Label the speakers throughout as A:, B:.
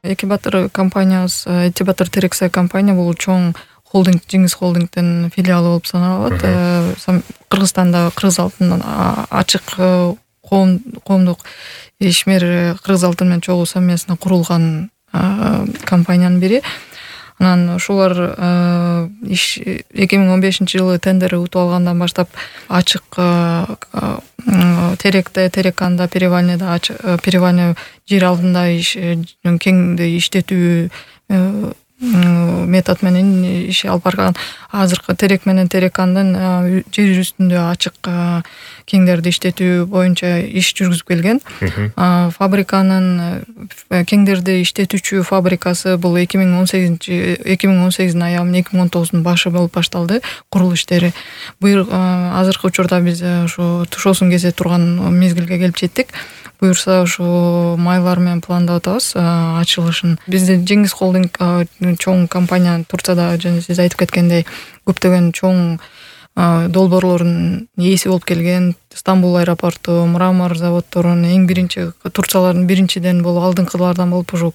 A: Эки Батыр компаниясы, Эки Батыр Терексай компания бул чоң холдинг, Жеңиз холдингдин филиалы болуп саналат. Кыргызстанда Кыргыз алтын ачык коомдук ишмер Кыргыз алтын менен чогуу совместно курулган компаниянын бири. Анан ошолор 2015-жылы тендер утуп алгандан баштап ачык Тереканда, Перевальный жер алдында кеңди иштетүү метод менен иш алып барган. Азыркы Терек менен Терекандын жер үстүндө ачык кеңдерди иштетүү боюнча иш жүргүзүп келген. Фабриканын кеңдерди иштетүүчү фабрикасы бул 2018-дин аягы, 2019-дун башы болуп башталды курулуш иштери. Азыркы учурда биз ошо тушоосун кесе турган мезгилге келип жеттик. Буюрса ошо майлар менен пландап атабыз ачылышын. Бизде Жеңиз холдинг чоң компания Турцияда, жана сиз айтып кеткендей, көптөгөн чоң долбоорлордун ээси болуп келген. Стамбул аэропорту, мрамор заводдорунун эң биринчи Турциялардын биринчиден болуп, алдыңкылардан болуп, ошо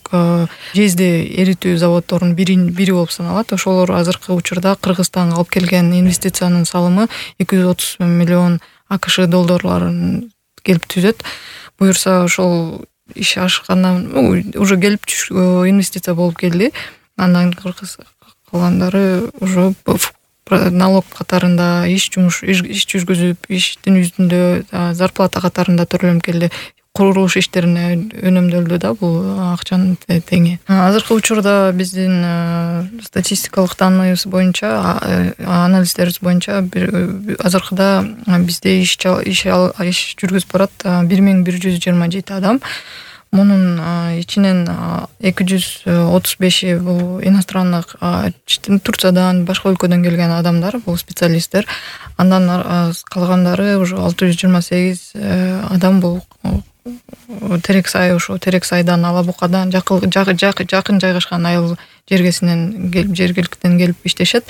A: жезди эритүү заводдорунун бири болуп саналат. Ошолор азыркы учурда Кыргызстанга алып келген инвестициянын салымы 230 миллион АКШ долларларын келип түзөт. Буюрса ошол иш ашкандан уже келип инвестиция болуп келди. Андан калгандары уже налог катарында иш жүргүзүп, иштин үстүндө зарплата катарында төлөнүп келди. Курулуш иштерине өнөмдөлдү да бул акчанын теңи. Азыркы учурда биздин статистикалык данныйыбыз боюнча, анализдерибиз боюнча азыркыда бизде иш жүргүзүп барат 1127 адам. Мунун ичинен 235 бул иностранных, Турциядан, башка өлкөдөн келген адамдар, бул специалисттер. Андан калгандары уже 628 адам бул Терексай, ошо Терексайдан, Алабукадан жакын жайгашкан айыл жергиликтен келип иштешет.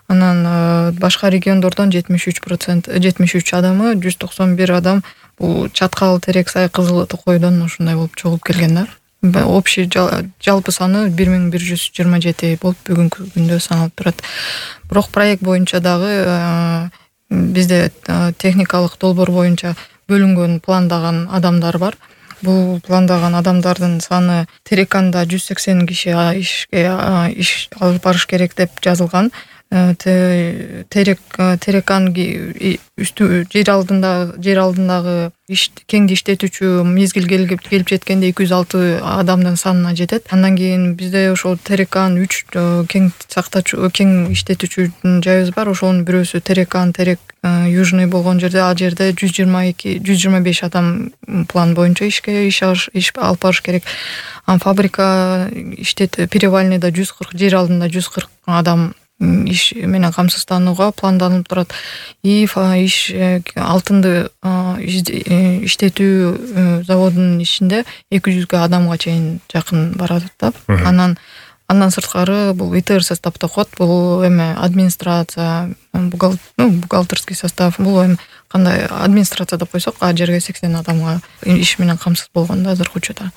A: Анан башка региондордон 73 адамы, 191 адам бул Чаткал, Терексай, Кызыл Токойдон ушундай болуп чогулуп келген да. Общий жалпы саны 1127 болуп бүгүнкү күндө саналып турат. Бирок проект боюнча дагы бизде техникалык долбоор боюнча бөлүнгөн, пландаган адамдар бар. Бул пландаган адамдардын саны Тереканда 180 киши иш алып барыш керек деп жазылган. Терекан жер алдындагы кеңди иштетүүчү мезгил келип жеткенде 206 адамдын санына жетет. Андан кийин бизде ошо Терекан 3 кең иштетүүчү жайыбыз бар. Ошонун бирөөсү Терек Южный болгон жерде, ал жерде 125 адам план боюнча иш алып барыш керек. Фабрика Перевальныйда 140, жер алдында 140 адам иш менен камсызданууга планданып турат. Алтынды иштетүү заводунун ичинде 200 адамга чейин жакын барат да. Андан сырткары бул ИТР составда кот, бул эме администрация, бухгалтерский состав, бул эми кандай администрация деп койсок, а жерге 80 адамга иш менен камсыз болгон да азыркы учурда.